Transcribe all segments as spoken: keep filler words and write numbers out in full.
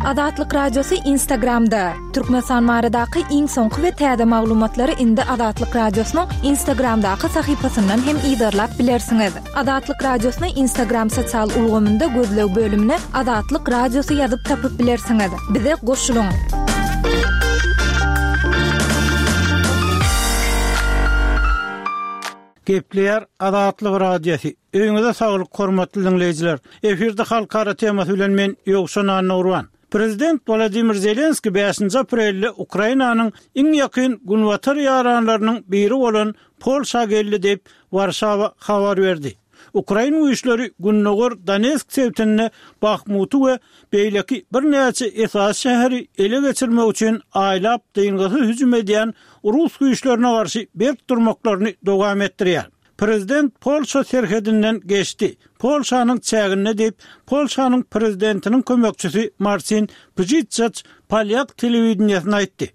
Azatlyk Radiosy Instagramda. Türkmenistan baradaky iň soňky we täze maglumatlary indi Azatlyk Radiosynyň Instagramdaky sahypasyndan hem yzarlap bilersiňiz. Azatlyk Radiosyny Instagram sosial ulgamynda gözleg bölümine Azatlyk Radiosy ýazyp tapyp bilersiňiz. Bize goşulyň. Gepleýär Azatlyk Radiosy. Öýüňize saglyk, hormatly diňleýjiler. Efirde halkara temasy bilen men Ýowşan Annagurban. Prezident Wladimir Zelenskiý bäşinji aprelde Ukrainanyň iň ýakyn günbatar ýaranlarynyň biri bolan Polşa geldi diýip, Warşawa habar berdi. Ukrain güýçleri gündogar Donetsk sebitinde Bahmuty we beýleki birnäçe esasy şäheri ele geçirmek üçin aýlap dyngysyz hüjüm edýän rus güýçlerine garşy berk durmaklaryny dowam etdirýär. Prezident Polşa serhedinden geçdi, Polşanyň çäginde diýip, Polşanyň prezidentiniň kömekçisi Marsin Pjitçaç polýak telewideniýesine aýtdy.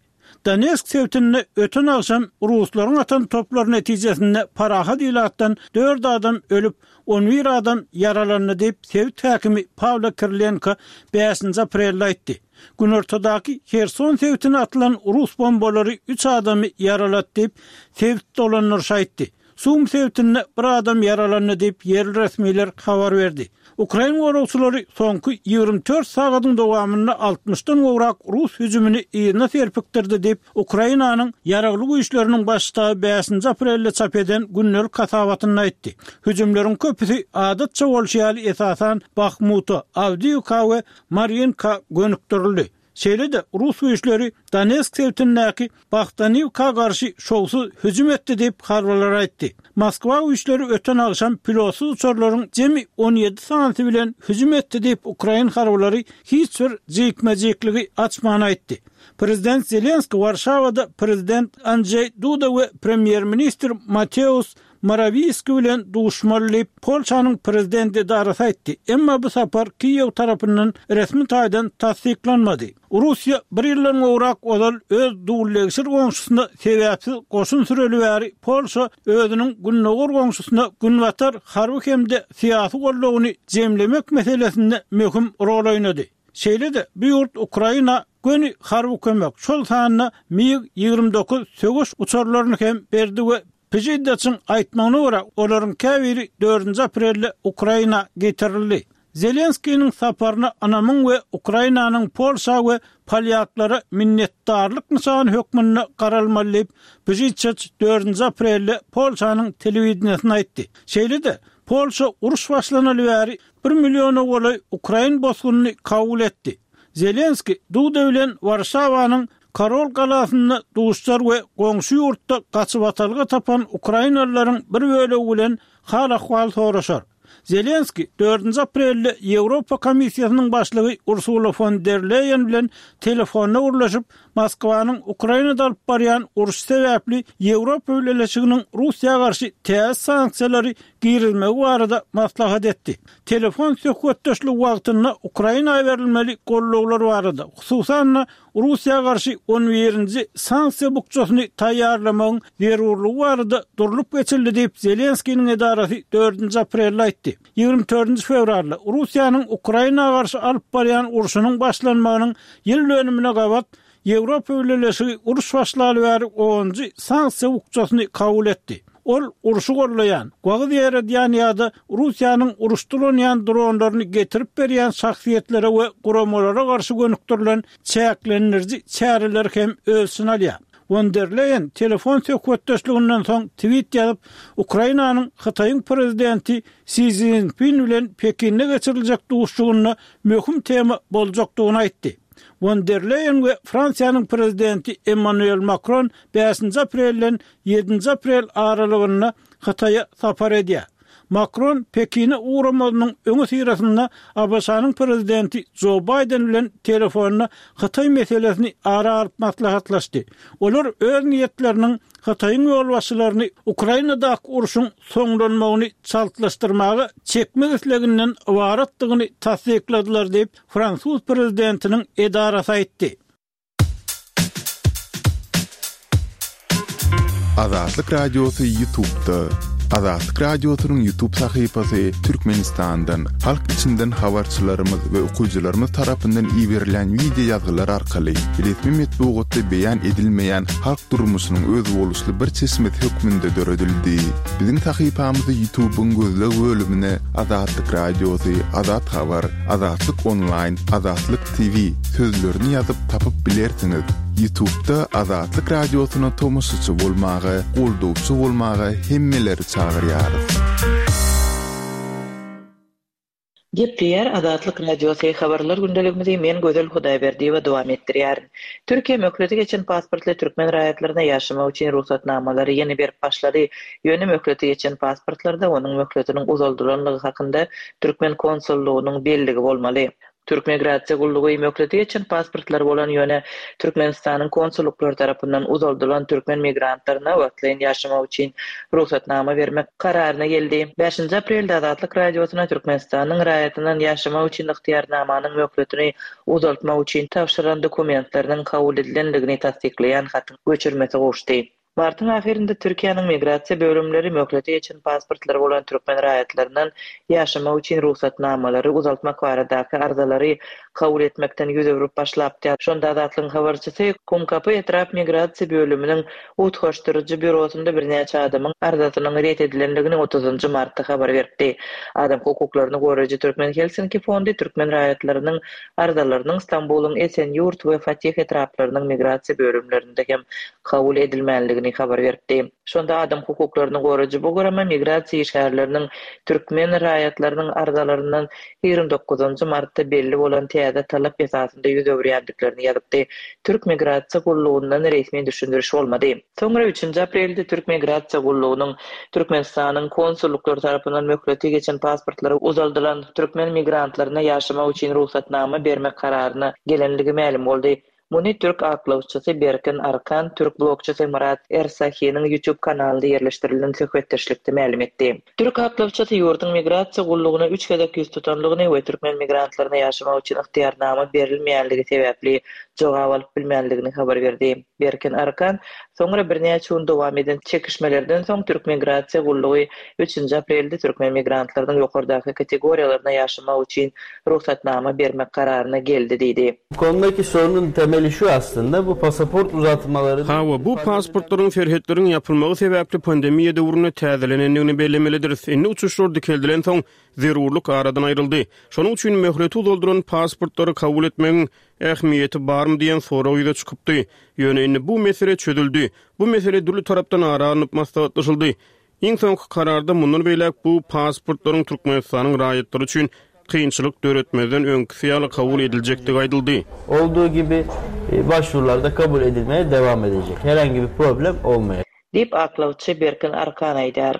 Donetsk sebitinde öten agşam ruslaryň atan toplary netijesinde parahat ilatdan dört adam ölüp, on bir adam ýaralandy diýip, sebit häkimi Pawlo Kirilenko bäşinji aprelde aýtdy. Günortadaky Herson sebitine atylan rus bombalary üç adamy ýaralady diýip, sebit dolandyryşy aýtdy. Sum sebitinde bir adam ýaralandy diýip, ýerli resmiler habar berdi. Ukrain goragçylary soňky ýigrimi dört sagadyň dowamynda altmyşdan gowrak rus hüjümini yzyna serpikdirdi diýip, Ukrainanyň Ýaragly Güýçleriniň Baş ştaby bäşinji aprelde çap eden gündelik hasabatynda aýtdy. Hüjümleriň köpüsi adatça bolşy ýaly esasan Bahmuta, Awdiýewka we Marýinka gönükdirildi. Şeýle-de, rus güýçleri Donetsk sebitindäki Bahtaniwka garşy şowsuz hüjüm etdi diýip, harbylar aýtdy. Moskwa güýçleri öten agşam pilotsyz uçarlaryň jemi on ýedi sanysy bilen hüjüm etdi diýip, ukrain harbylary hiç bir jikme-jikligi açman aýtdy. Prezident Zelenskiý Warşawada prezident Andžeý Duda we premýer-ministr Mateusz Morawiýski bilen duşmaly diýip, Polşanyň prezident edarasy aýtdy. Emma bu sapar Kiýew tarapyndan resmi taýdan tassyklanmady. Russiýa bir ýyldan gowrak ozal öz dullegşir goňşusyna sebäpsiz goşun süreli bäri Polşa özüniň gündogar goňşusyna günbatar harby hem-de syýasy goldawyny jemlemek meselesinde möhüm rol oýnady. Şeýle-de, bu ýurt Ukraina göni harby kömek, şol sanda MiG ýigrimi dokuz söweş uçarlaryny hem berdi we Pjiddaçyň aýtmagyna görä, olaryň käbiri dördünji aprelde Ukraina getirildi. Zelenskiniň saparyna ynamyň we Ukrainanyň Polşa we polýaklara minnetdarlyk nyşany hökmünde garalmaly diýip, Pjidçaç dördünji aprelde Polşanyň telewideniýesine aýtdy. Şeýle-de, Polşa uruş başlanaly bäri bir milliona golaý ukrain bosgunyny kabul etdi. Zelenskiý Duda bilen Warşawanyň Karol galasynda duşar we goňşy ýurtda gaçybatalga tapan ukrainalylaryň bir bölegi bilen hal-ahwal soraşar. Zelenskiý dördünji aprelde Ýewropa Komissiýasynyň başlygy Ursula fon der Leýen bilen telefonda gürleşip, Moskwanyň Ukrainada alyp barýan urşy sebäpli Ýewropa Bileleşiginiň Russiýa garşy täze sanksiýalary girizmegi barada maslahat etdi. Telefon söhbetdeşligi wagtynda Ukraina berilmeli gollawlar barada, hususan-da, Russiýa garşy on birinji sanksiýa bukjasyny taýýarlamagyň zerurlygy barada durlup geçildi diýip, Zelenskiniň edarasy dördünji aprelde aýtdy. Ýigrimi dördünji fewralda Russiýanyň Ukraina garşy alyp barýan urşunyň başlanmagynyň ýyl dönümine gabat Ýewropa Bileleşigi uruş başlaly bäri onunjy sanksiýa bukjasyny kabul etdi. Ol urşy gollaýan, wagyz ýaýradýan ýa-da Russiýanyň uruşda ulanýan dronlaryny getirip berýän şahsyýetlere we guramalara garşy gönükdirilen çäklendiriji çäreleri hem öz içine alýar. Won der Leýen telefon söhbetdeşliginden soň tweet ýazyp, Ukrainanyň Hytaýyň prezidenti Si Szinpin bilen Pekinde geçiriljek duşuşygynda möhüm tema boljakdygyny aýtdy. Won der Leýen we Fransiýanyň prezidenti Emmanuel Makron bäşinji aprelden ýedinji aprel aralygynda Hytaýa sapar edýär. Makron Pekine ugramazynyň öňüsyrasynda ABŞ-nyň prezidenti Jo Baýden bilen telefonda Hytaý meselesini ara alyp maslahatlaşdy. Olar öz niýetleriniň Hytaýyň ýolbaşçylaryny Ukrainadaky urşuň soňlanmagyny çaltlaşdyrmaga çekmek isleginden ybaratdygyny tassykladylar diýip, fransuz prezidentiniň edarasy aýtdy. Azatlyk Radiosy YouTube'da. Azatlyk Radiosynyň YouTube sahypasy Türkmenistandan, halk içinden habarçylarymyz we okyjylarymyz tarapyndan iberilen wideo ýazgylar arkaly resmi metbugatda beýan edilmeýän halk durmuşynyň özboluşly bir çeşmesi hökmünde döredildi. Biziň sahypamyzy YouTube'yň gözleg bölümine Azatlyk Radiosy, Azat Habar, Azatlyk Online, Azatlyk T V sözlerini ýazyp tapyp bilersiňiz. YouTube'da Azatlyk Radiosyna tomaşaçy bolmaga, goldawçy bolmaga hemmeleri çagyrýarys. Gepleýär Azatlyk Radiosy, habarlar gündeligimizi men Gözel Hudaýberdiýewa dowam etdirýärin. Türkiýe möhleti geçen pasportly türkmen raýatlaryna ýaşamak üçin rugsatnamalary ýene berip başlady. Ýöne möhleti geçen pasportlarda onuň möhletiniň uzaldylanlygy hakynda türkmen konsullygynyň belligi bolmaly. Türk Migrasiýa gullugy möhleti geçen pasportlary bolan, ýöne Türkmenistanyň konsullyklary tarapyndan uzaldylan türkmen migrantlaryna wagtlaýyn ýaşamak üçin rugsatnama bermek kararyna geldi. Bäşinji aprelde Azatlyk Radiosyna Türkmenistanyň raýatyndan ýaşamak üçin ygtyýarnamanyň möhletini uzaltmak üçin tabşyran dokumentleriniň kabul edilendigini tassyklaýan hatyň göçürmesi gowuşdy. Martyň ahyrynda Türkiýäniň migrasiýa bölümleri möhleti geçen pasportlary bolan türkmen raýatlaryndan ýaşamak üçin rugsatnamalary uzaltmak baradaky arzalary kabul etmekden ýüz öwrüp başlapdy. Şonda Azatlygyň habarçysy Kumkapy etrap migrasiýa bölüminiň utgaşdyryjy bürosynda birnäçe adamyň arzasynyň ret edilendigini otuzynjy martda habar beripdi. Adam hukuklaryny goraýjy Türkmen Helsinki fondy türkmen raýatlarynyň arzalarynyň Stambulyň Esenýurt we Fatih etraplarynyň migrasiýa bölümlerinde hem kabul edilmänligini habar beripdi. Şonda adam hukuklaryny goraýjy bu gurama migrasiýa işgärleriniň türkmen raýatlarynyň arzalaryndan ýigrimi dokuzynjy martda belli bolan täze talap esasynda ýüz öwürýändiklerini ýazypdy. Türk migrasiýa gullugyndan resmi düşündiriş bolmady. Soňra üçünji aprelde Türk migrasiýa gullugynyň Türkmenistanyň konsullyklary tarapyndan möhleti geçen pasportlary uzaldylan türkmen migrantlaryna ýaşamak üçin rugsatnama bermek kararyna gelenligi mälim boldy. Muny türk aklawçysy Berkin Arkan, türk blogçysy Murat Ersahiniň YouTube kanalynda ýerleşdirilen söhbetdeşlikde mälim etdi. Türk aklawçysy ýurduň migrasiýa gullugyna üç gezek ýüz tutanlygyny we türkmen migrantlaryna ýaşamak üçin ygtyýarnama berilmeýänligi sebäpli jogap alyp bilmänligini habar berdi. Berkin Arkan soňra birnäçe gün dowam eden çekişmelerden soň Türk migrasiýa gullugy üçünji aprelde türkmen migrantlarynyň ýokardaky kategoriýalaryna ýaşamak üçin rugsatnama bermek kararyna geldi diýdi. Bu konudaki sorunun temeli şu aslında, bu pasaport uzatmaları... Hawa, bu pasportlaryň serhetleriň ýapylmagy sebäpli pandemiýa döwründe täzelenendigini bellemelidiris. Indi uçuşlar dikeldilen soň zerurlyk aradan aýryldy. Şonuň üçin möhleti uzaldyran pasportlary kabul etmegiň ähmiýeti barmy diýen sorag ýüze çykypdy. Ýöne indi bu mesele çözüldi. Bu mesele dürli tarapdan ara alnyp maslahatlaşyldy. Iň soňky kararda mundan beýläk bu pasportlaryň Türkmenistanyň raýatlary üçin kynçylyk döretmezden öňküsi ýaly kabul ediljekdigi aýdyldy. Olduğu gibi, e, başvurular da kabul edilmeye devam edecek. Herhangi bir problem olmayacak. Diýip aklawçy Berkin Arkan aýdar.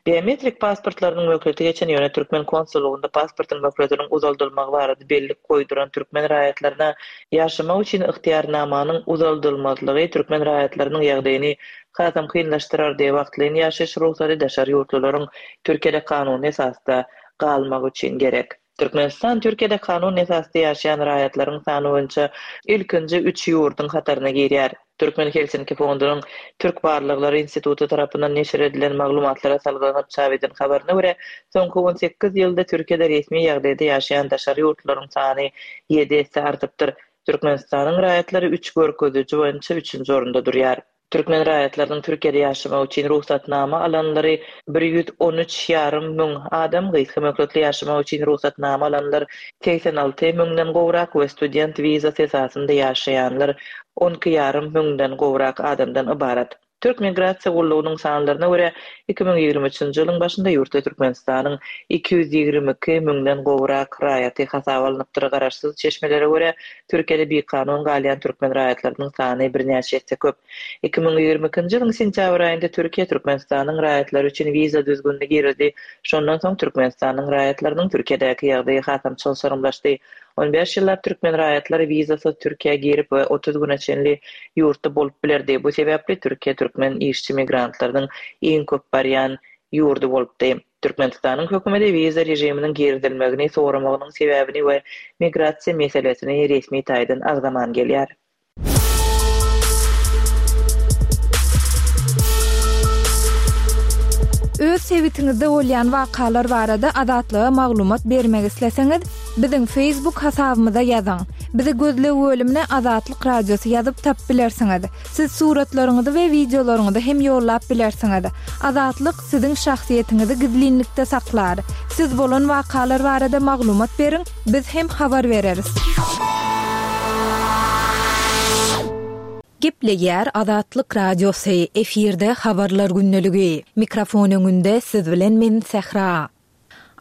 Biometrik pasportlarynyň möhleti geçen ýöne türkmen konsullugynda pasportyň möhletiniň uzaldylmagy barada bellik goýduran türkmen raýatlaryna ýaşamak üçin ygtyýarnamanyň uzaldylmazlygy türkmen raýatlarynyň ýagdaýyny hasam kynlaşdyrardy. Wagtlaýyn ýaşaýyş rugsady daşary ýurtlularyň Türkiýede kanuny esasda galmagy üçin gerek. Türkmenistan Türkiýede kanun esasda ýaşaýan raýatlaryň sany boýunça ilkinji üç ýurduň hataryna girýär. Türkmen Helsinki fondunyň Türk Barlyklary Instituty tarapyndan neşir edilen maglumatlara salgylanyp çap eden habaryna görä, soňky on sekiz ýylda Türkiýede resmi ýagdaýda ýaşaýan daşary ýurtlaryň sany ýedi esse artypdyr. Türkmenistanyň raýatlary üç görkeziji boýunça üçünji orunda durýar. Türkmen raýatlarynyň Türkiýede ýaşamak üçin rugsatnama alanlary bir ýüz on üç ýarym müň adam, gysga möhletli ýaşamak üçin rugsatnama alanlar segsen alty müňden gowrak we student wizasy esasynda ýaşaýanlar on iki ýarym müňden gowrak adamdan ybarat. Türk Migrasiýa gullugynyň sanlaryna görä iki müň ýigrimi üçünji ýylyň başynda ýurtda Türkmenistanyň iki ýüz ýigrimi iki müňden gowrak raýaty hasaba alnypdyr. Garaşsyz çeşmelere görä Türkiýede bikanun galýan türkmen raýatlarynyň sany birnäçe esse köp. Iki müň ýigrimi ikinji ýylyň sentýabr aýynda Türkiýe Türkmenistanyň raýatlary üçin wiza düzgünini girdi. Şondan soň Türkmenistanyň raýatlarynyň Türkiýedäki ýagdaýy hasam çylşyrymlaşdy. On bäş ýyllap türkmen raýatlary wizasyz Türkiýä girip we otuz güne çenli ýurtda bolup bilerdi. Bu sebäpli Türkiýe türkmen işçi migrantlarynyň iň köp barýan ýurdy bolupdy. Türkmenistanyň hökümeti wiza režiminiň girizilmegini soramagynyň sebäbini we migrasiýa meselesini resmi taýdan agzaman gelýär. Öz sebitiňizde bolýan wakalar barada Azatlyga maglumat bermek isleseňiz, biziň Facebook hasabymyza ýazyň. Bizi gözleg bölümine Azatlyk Radiosy ýazyp tapyp bilersiňiz. Siz suratlaryňyzy we wideolaryňyzy hem ýollap bilersiňiz. Azatlyk siziň şahsyýetiňizi gizlinlikde saklar. Siz bolan wakalar barada maglumat beriň, biz hem habar bereris. Gepleýär Azatlyk Radiosy, efirde habarlar gündeligi. Mikrofon öňünde siz bilen men Sähra.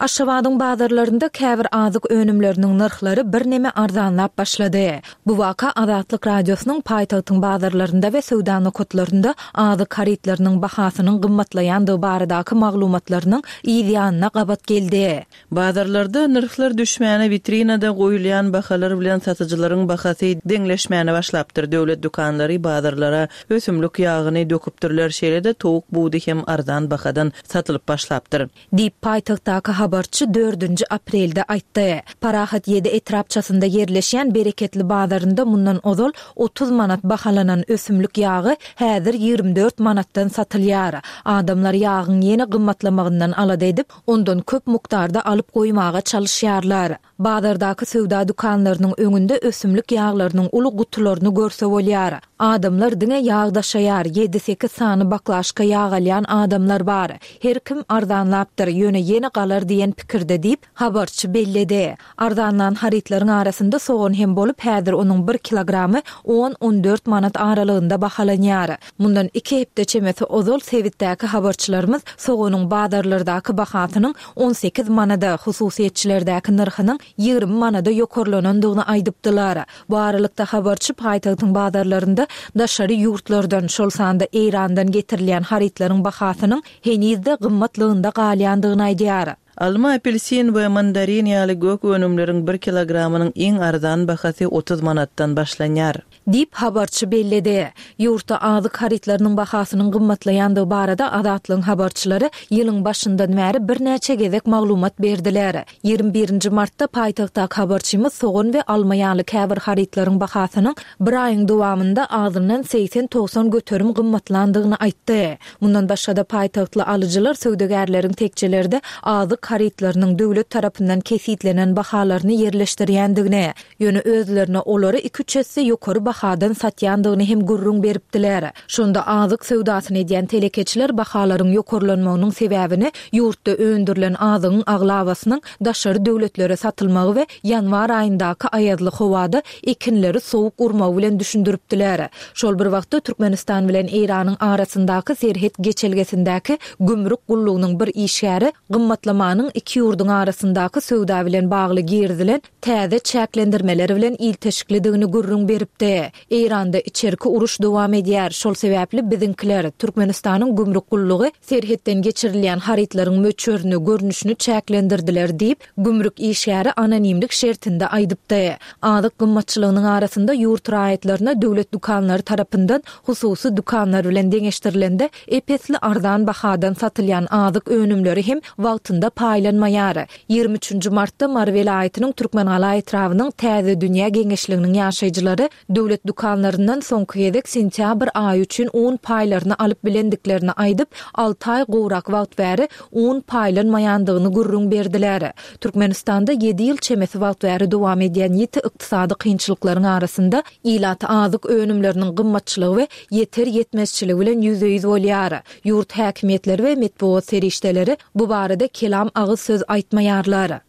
Aşgabadyň bazarlarynda käbir azyk önümleriniň nyrhlary birneme arzanlap başlady. Bu waka Azatlyk Radiosynyň paýtagtyň bazarlarynda we söwda nokatlarynda azyk harytlarynyň bahasynyň gymmatlaýandygy baradaky maglumatlarynyň yz ýanyna gabat geldi. Bazarlarda nyrhlar düşmäne witrinada goýulýan bahalar bilen satyjylaryň bahasy deňleşmäne başlapdyr. Döwlet dükanlary bazarlara ösümlik ýagyny döküpdirler, şeýle-de towuk budy hem arzan bahadan satylyp başlapdyr. Diýip paýtagtdaky habarçy dördünji aprelde aýtdy. Parahat ýedi etrapçasynda ýerleşýän Bereketli bazarynda mundan ozal otuz manat bahalanan ösümlik ýagy häzir ýigrimi dört manatdan satylýar. Adamlar ýagyň ýene gymmatlamagyndan alada edip, ondan köp mukdarda alyp goýmaga çalyşýarlar. Bazardaky söwda dükanlarynyň öňünde ösümlik ýaglarynyň uly gutularyny görse bolýar. Adamlar diňe ýag daşaýar, ýedi-sekiz sany baklaşka ýag alýan adamlar bar. Her kim arzanlapdyr, ýöne ýene galar diýen pikirde diýip, habarçy belledi. Arzanlan harytlaryň arasynda sogan hem bolup, häzir onuň bir kilogramy on-on dört manat aralygynda bahalanýar. Mundan iki hepde çemesi ozal sebitdäki habarçylarymyz soganyň bazarlardaky bahasynyň on sekiz manada, hususyýetçilerdäki nyrhynyň ýigrimi manada ýokarlanandygyny aýdypdylar. Bu aralykda habarçy paýtagtyň bazarlarynda daşary ýurtlardan, şol sanda Eýrandan getirilýän harytlaryň bahasynyň henizde gymmatlygynda galýandygyny aýdýar. Alma, apelsin we mandarin ýaly gök önümleriň bir kilogramynyň iň arzan bahasy otuz manatdan başlanýar. Diýip habarçy belledi. Ýurtda azyk harytlarynyň bahasynyň gymmatlaýandygy barada Azatlygyň habarçylary ýylyň başyndan bäri birnäçe gezek maglumat berdiler. Ýigrimi birinji martda paýtagtdaky habarçymyz sogan we alma ýaly käbir harytlaryň bahasynyň bir aýyň dowamynda azyndan segsen togsan göterim gymmatlandygyny aýtdy. Mundan başga-da paýtagtly alyjylar söwdagärleriň tekjelerde azyk harytlarynyň döwlet tarapyndan kesitlenen bahalaryny ýerleşdirýändigini, ýöne özlerine olary iki-üç esse ýokary bahadan satýandygyny hem gürrüň beripdiler. Şonda azyk söwdasyny edýän telekeçiler bahalaryň ýokarlanmagynyň sebäbini ýurtda öndürilen azygyň aglabasynyň daşary döwletlere satylmagy we ýanwar aýyndaky aýazly howada ekinleri sowuk urmagy bilen düşündiripdiler. Şol bir wagtda Türkmenistan bilen Eýranyň arasyndaky serhet geçelgesindäki gümrük gullugynyň bir işgäri gymmatlamanyň iki ýurduň arasyndaky söwda bilen bagly girizilen täze çäklendirmeler bilen ilteşiklidigini gürrüň beripdi. Eýranda içerki uruş dowam edýär. Şol sebäpli biziňkiler Türkmenistanyň gümrük gullugy serhetden geçirilýän harytlaryň möçberini, görnüşini çäklendirdiler diýip, gümrük işgäri anonimlik şertinde aýdypdy. Azyk gymmatçylygynyň arasynda ýurt raýatlaryna döwlet dükanlary tarapyndan hususy dükanlar bilen deňeşdirilende epesli arzan bahadan satylýan azyk önümleri hem wagtynda paýlanmaýar. Ýigrimi üçünji martda Mary welaýatynyň Türkmengala etrabynyň Täze Dünýä geňeşliginiň ýaşaýjylary döwlet dükanlaryndan soňky gezek sentýabr aýy üçin un paýlaryny alyp bilendiklerini aýdyp, alty aý gowrak wagt bäri un paýlanmaýandygyny gürrüň berdiler. Türkmenistanda ýedi ýyl çemesi wagt bäri dowam edýän ýiti ykdysady kynçylyklaryň arasynda ilat azyk önümleriniň gymmatçylygy we ýeter ýetmezçiligi bilen ýüzbe-ýüz bolýar. Ýurt häkimiýetleri we metbugat serişdeleri bu barada kelam agyz söz aýtmaýarlar.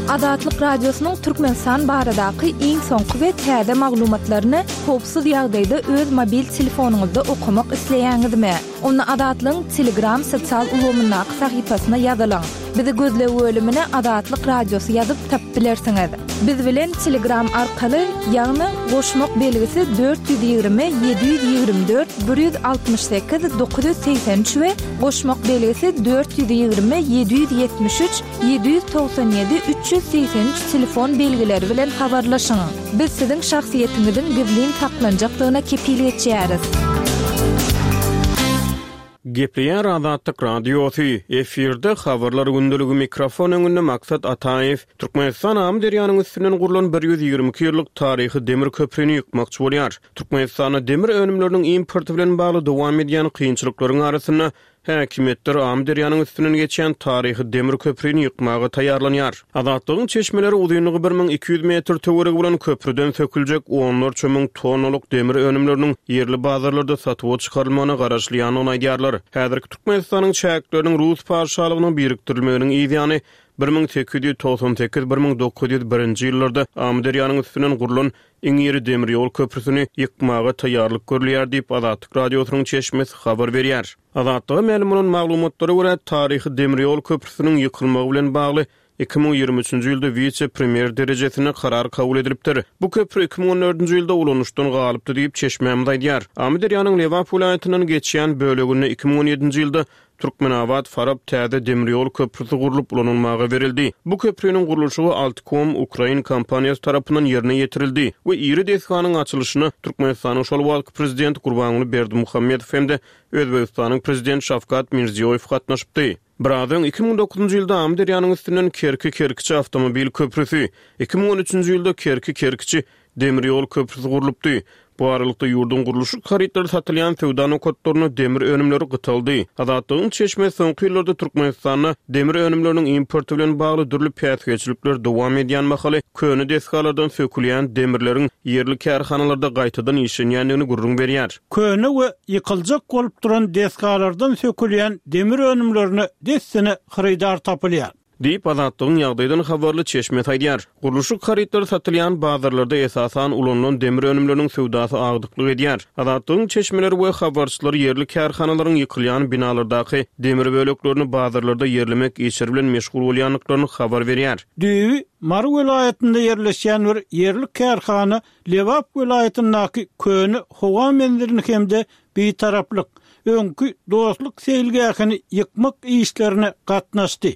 Azatlyk Radiosynyň Türkmenistan baradaky iň soňky we täze maglumatlaryny howpsuz ýagdaýda öz mobil telefonyňyzda okamak isleýäňizmi? Onda Azatlygyň Telegram sosial ulgamyndaky sahypasyna ýazylyň. Bizi gözleg bölümine Azatlyk Radiosy ýazyp tapyp bilersiňiz. Biz bilen Telegram arkaly, ýagny goşmak belgisi dört ýüz ýigrimi, ýedi ýüz ýigrimi dört, bir ýüz altmyş sekiz, dokuz ýüz segsen üç we goşmak belgisi dört ýüz ýigrimi, ýedi ýüz ýetmiş üç, ýedi ýüz togsan ýedi, üç ýüz segsen üç telefon belgileri bilen habarlaşyň. Biz siziň şahsyýetiňiziň gizlin saklanjakdygyna kepil geçýäris. Gepleýär Azatlyk Radiosy, efirde habarlar gündeligi, mikrofon öňünde Maksat Ataýew. Türkmenistan Amyderýanyň üstünden gurlan bir ýüz ýigrimi iki ýyllyk taryhy demir köprüni ýykmakçy bolýar. Türkmenistanda demir önümleriniň importy bilen bagly dowam edýän kynçylyklaryň arasynda Häkimiýetler Amyderýanyň üstünden geçýän taryhy demir köprüni ýykmaga taýýarlanýar. Azatlygyň çeşmeleri uzynlygy bir müň iki ýüz metr töweregi bolan köprüden söküljek onlarça müň tonnalyk demir önümleriniň ýerli bazarlarda satuwa çykarylmagyna garaşylýandygyny aýdýarlar. Häzirki Türkmenistanyň çäkleriniň Rus patyşalygyna birikdirilmeginiň yzýany bir müň sekiz ýüz togsan sekiz bir müň dokuz ýüz birinji ýyllarda Amyderýanyň üstünden gurlan iň iri demir ýol köprüsini ýykmaga taýýarlyk görülýär diýip, Azatlyk Radiosynyň çeşmesi habar berýär. Azatlyga mälim bolan maglumatlara görä, taryhy demir ýol köprüsiniň ýykylmagy bilen bagly iki müň ýigrimi üçünji ýylda wise-premýer derejesinde karar kabul edilipdir. Bu köprü iki müň on dördünji ýylda ulanyşdan galypdy diýip, çeşmämiz aýdýar. Amyderýanyň Lebap welaýatyndan geçýän böleginde iki müň on ýedinji ýylda Türkmenabat Farap täze demir ýol köprüsi gurlup ulanylmaga berildi. Bu köprüniň gurluşygy Altkom ukrain kompaniýasy tarapyndan ýerine ýetirildi we iri desganyň açylyşyna Türkmenistanyň şol wagtky prezidenti Gurbanguly Berdimuhamedow hem-de Özbegistanyň prezidenti Şawkat Mirziýoýew gatnaşypdy. Biraz öň iki müň dokuzynjy ýylda Amyderýanyň üstünden Kerki-Kerkiçi awtomobil köprüsi, iki müň on üçünji ýylda Kerki-Kerkiçi demir ýol köprüsi gurlupdy. Bu aralykda ýurduň gurluşyk harytlary satylýan söwda nokatlarynda demir önümleri gytaldy. Azatlygyň çeşmesi soňky ýyllarda Türkmenistanda demir önümleriniň importy bilen bagly dürli päsgelçilikler dowam edýän mahaly köne desgalardan sökülýän demirleriň ýerli kärhanalarda gaýtadan işlenýändigini gürrüň berýär. Köne we ýykyljak bolup duran desgalardan sökülýän demir önümlerine dessine hyrydar tapylýar. Diýip, Azatlygyň ýagdaýdan habarly çeşmesi aýdýar. Gurluşyk harytlary satylýan bazarlarda esasan ulanylan demir önümleriniň söwdasy agdyklyk edýär. Azatlygyň çeşmeleri we habarçylary ýerli kärhanalaryň ýykylýan binalardaky demir böleklerini bazarlarda ýerlemek işleri bilen meşgul bolýandyklaryny habar berýär. Düýbi Mary welaýatynda ýerleşýän bir ýerli kärhana Lebap welaýatyndaky köne howa menzilini hem-de bitaraplyk, öňki dostluk seýilgähini ýykmak işlerine gatnaşdy.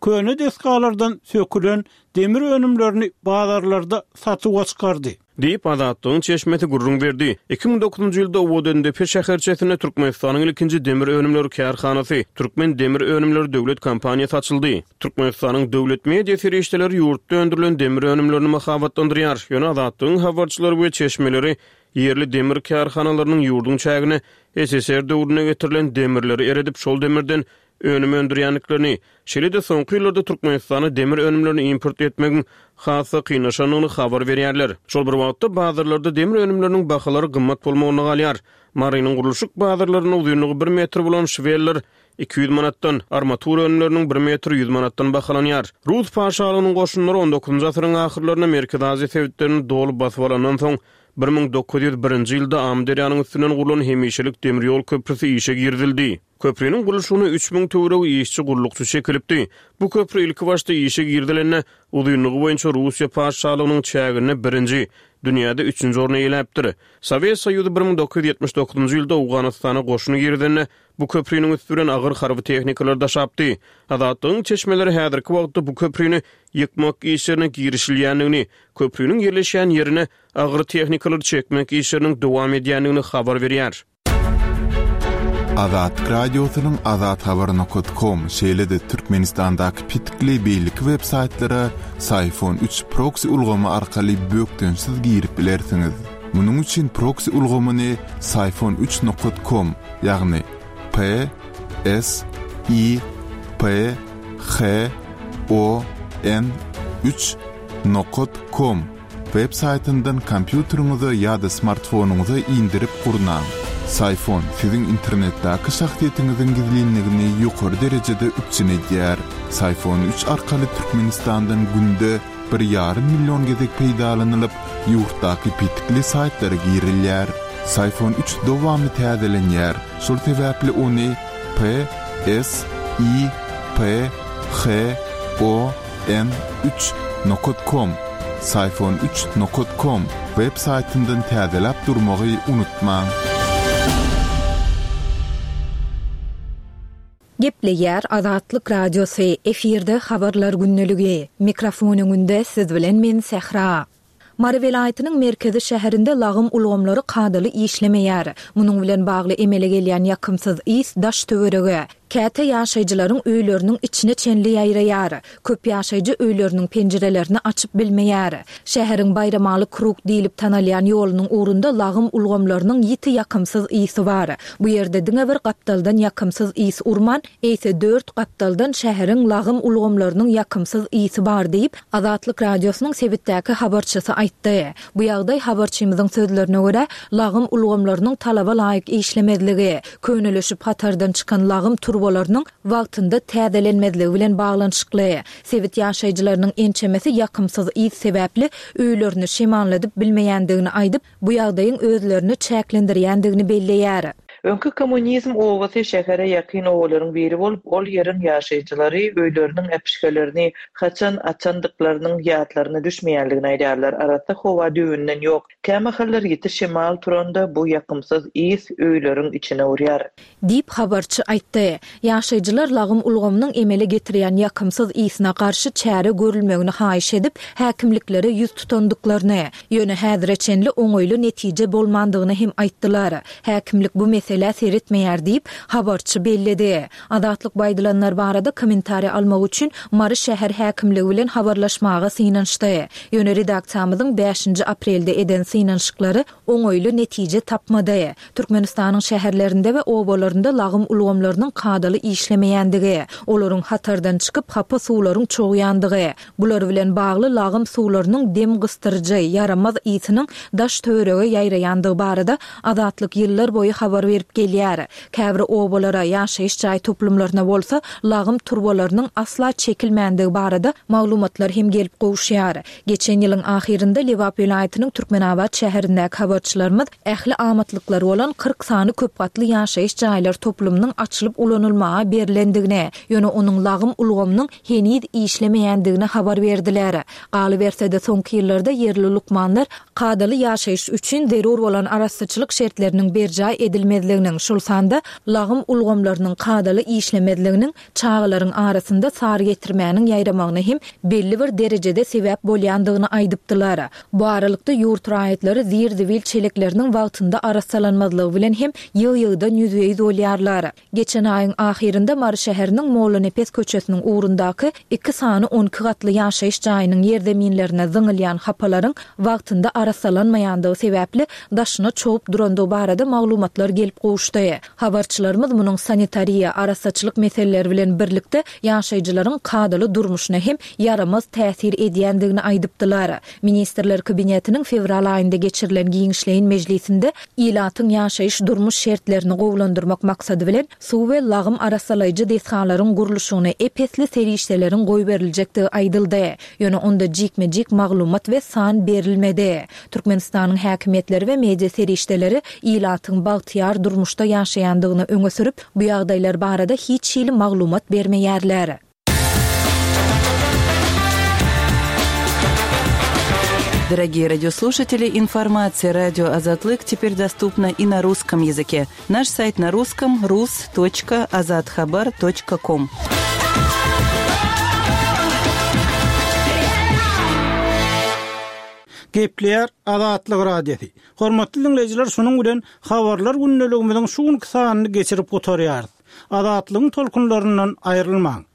Köne desgalardan sökülen demir önümlerini bazarlarda satuwa çykardy. Diýip, Azatlygyň çeşmesi gürrüň berdi. Iki müň dokuzynjy ýylda Owadandepe şäherçesinde Türkmenistanyň ilkinji demir önümleri kärhanasy, Türkmen demir önümleri döwlet kompaniýasy açyldy. Türkmenistanyň döwlet media serişdeleri ýurtda öndürilen demir önümlerini mahabatlandyrýar. Ýöne Azatlygyň habarçylary we çeşmeleri ýerli demir kärhanalarynyň ýurduň çägine S S R döwrüne getirilen demirleri eredip, şol demirden önüm öndürýändiklerini, şeýle-de soňky ýyllarda Türkmenistana demir önümlerini import etmegiň has-da kynlaşandygyny habar berýärler. Şol bir wagtda bazarlarda demir önümleriniň bahalary gymmat bolmagyna galýar. Marynyň gurluşyk bazarlarynda uzynlygy bir metr bolan şweller iki ýüz manatdan, armatur önümleriniň bir metr ýüz manatdan bahalanýar. Rus patyşalygynyň goşunlary on dokuzynjy asyryň ahyrlarynda Merkezi Aziýa sebitlerini doly basyp alandan soň bir müň dokuz ýüz birinji ýylda Amyderýanyň üstünden gurlan hemişelik demir ýol köprüsi işe girizildi. Köprüniň gurluşygyna üç müň töweregi işçi gurlukçy çekilipdi. Bu köprü ilki başda işe girizilende uzynlygy boýunça Russiýa patyşalygynyň çäginde birinji, dünýäde üçünji orny eýeläpdir. Sowet Soýuzy bir müň dokuz ýüz ýetmiş dokuzynjy ýylda Owganystana goşuny girizende bu köprüniň üstü bilen agyr harby tehnikalar daşapdy. Azatlygyň çeşmeleri häzirki wagtda bu köprüni ýykmak işlerine girişilýändigini, köprüniň ýerleşýän ýerine agyr tehnikalar çekmek işleriniň dowam edýändigini habar berýär. Azatlyk Radiosynyň Azat Habar nokta com, şeýle-de Türkmenistandaky pitikli beýleki web saýtlara Syfon üç proxy ulgamy arkaly bökdençsiz girip bilersiňiz. Munuň üçin proxy ulgamyny Syfon üç nokta com, ýagny P S I P H O N üç nokta com web saýtyndan kompýuteriňize ýa-da smartfonyňyza indirip gurnaň. Syfon siziň internetdäki şahsyýetiňiziň gizlinligini ýokary derejede üpjün edýär. Syfon üç arkaly Türkmenistandan günde bir ýarym million gezek peýdalanylyp, ýurtdaky pitikli saýtlara girilýär. Syfon üç dowamly täzelenýär. Şol sebäpli ony P S I P H O N üç nokta com, Syfon üç nokta com web saýtyndan täzeläp durmagy unutmaň. Gepleýär Azatlyk Radiosy, efirde habarlar gündeligi. Mikrofon öňünde siz bilen men Sähra. Mary welaýatynyň merkezi şäherinde lagym ulgamlary kadaly işlemeýär. Munuň bilen bagly emele gelýän ýakymsyz ys daş töwerege, käte ýaşaýjylaryň öýleriniň içine çenli ýaýraýar. Köp ýaşaýjy öýleriniň penjirelerini açyp bilmeýär. Şäheriň Baýramaly krug diýlip tanalýan ýolunyň ugrunda lagym ulgamlarynyň ýiti ýakymsyz ysy bar. Bu ýerde diňe bir gapdaldan ýakymsyz ys urman, eýse dört gapdaldan şäheriň lagym ulgamlarynyň ýakymsyz ysy bar diýip, Azatlyk Radiosynyň sebitdäki habarçysy aýtdy. Bu ýagdaý habarçymyzyň sözlerine görä, lagym ulgamlarynyň talaba laýyk işlemezligi, könelişip hatardan çykan lagym turbalarynyň wagtynda täzelenmezligi bilen baglanyşykly. Sebit ýaşaýjylarynyň ençemesi ýakymsyz ys sebäpli öýlerini şemalladyp bilmeýändigini aýdyp, bu ýagdaýyň özlerini çäklendirýändigini belleýär. Öňki kommunizm obasy şähere ýakyn obalaryň biri bolup, ol ýeriň ýaşaýjylary öýleriniň äpişgelerini haçan açandyklarynyň ýatlaryna düşmeýänligini aýdýarlar. Arassa howa düýbünden ýok. Kämahallar ýiti şemal turanda bu ýakymsyz ys öýleriň içine urýar. Diýip habarçy aýtdy. Ýaşaýjylar lagym ulgamynyň emele getirýän ýakymsyz ysyna garşy çäre görülmegini haýyş edip, häkimliklere ýüz tutandyklaryny, ýöne häzire çenli oňaýly netije bolmandygyny hem aýtdylar. Häkimlik bu meselä seretmeýär diýip, habarçy belledi. Azatlyk bu aýdylanlar barada kommentariý almak üçin Mary şäher häkimligi bilen habarlaşmaga synanyşdy. Ýöne redaksiýamyzyň bäşinji aprelde eden synanyşyklary oňaýly netije tapmady. Türkmenistanyň şäherlerinde we obalarynda lagym ulgamlarynyň kadaly işlemeýändigi, olaryň hatardan çykyp hapa suwlaryň çogýandygy, bular bilen bagly lagym suwlarynyň dem gysdyryjy, ýaramaz ysynyň daş-töwerege ýaýraýandygy barada Azatlyk ýyllar boýy habar berip gelýär. Käbir obalara, ýaşaýyş jaý toplumlaryna bolsa lagym turbalarynyň asla çekilmändigi barada maglumatlar hem gelip gowuşýar. Geçen ýylyň ahyrynda Lebap welaýatynyň Türkmenabat şäherindäki habarçylarymyz ähli amatlyklary bolan kyrk sany köpgatly ýaşaýyş jaýlar toplumynyň açylyp ulanylmaga berlendigini, ýöne onuň lagym ulgamynyň heniz işlemeýändigini habar berdiler. Galyberse-de, soňky ýyllarda ýerli lukmanlar kadaly ýaşaýyş üçin zerur bolan arassaçylyk şertleriniň berjaý edilmezliginiň, şol sanda lagym ulgamlarynyň kadaly işlemezliginiň çagalaryň arasynda sarygetirmäniň ýaýramagyna hem belli bir derejede sebäp bolýandygyny aýdypdylar. Bu aralykda, ýurt raýatlary zir-zibil çelekleriniň wagtynda arassalanmazlygy bilen hem ýygy-ýygydan ýüzbe-ýüz bolýarlar. Geçen aýyň ahyrynda Mary şäheriniň Mollanepes köçesiniň ugrundaky iki sany on iki gatly ýaşaýyş jaýynyň ýerzeminlerine zyňylýan hapalaryň wagtynda arassalanmaýandygy sebäpli daşyna çogup durandygy barada maglumatlar gelip gowuşdy. Habarçylarymyz munuň sanitariýa, arassaçylyk meseleleri bilen birlikde ýaşaýjylaryň kadaly durmuşyna hem ýaramaz täsir edýändigini aýdypdylar. Ministrler Kabinetiniň fewral aýynda geçirilen giňişleýin mejlisinde ilatyň ýaşaýyş durmuş şertlerini gowulandyrmak maksady bilen suw we lagym arassalaýjy desgalaryň gurluşygyna ep-esli serişdeleriň goýberiljekdigi aýdyldy. Ýöne onda jikme-jik maglumat we san berilmedi. Türkmenistanyň häkimiýetleri we media serişdeleri ilatyň bagtyýar durmuşda ýaşaýandygyny öňe sürüp, bu ýagdaýlar barada hiç hili maglumat bermeýärler. Дорогие радиослушатели, информация радио Азатлык теперь доступна и на русском языке. Наш сайт на русском rus точка azathabar точка ком. Gepleýär Azatlyk Radiosy. Hormatly dinleýjiler, şunuň bilen habarlar gündeligimiziň şu günki sanyny geçirip gutarýarys. Azatlygyň tolkunlaryndan aýrylmaň.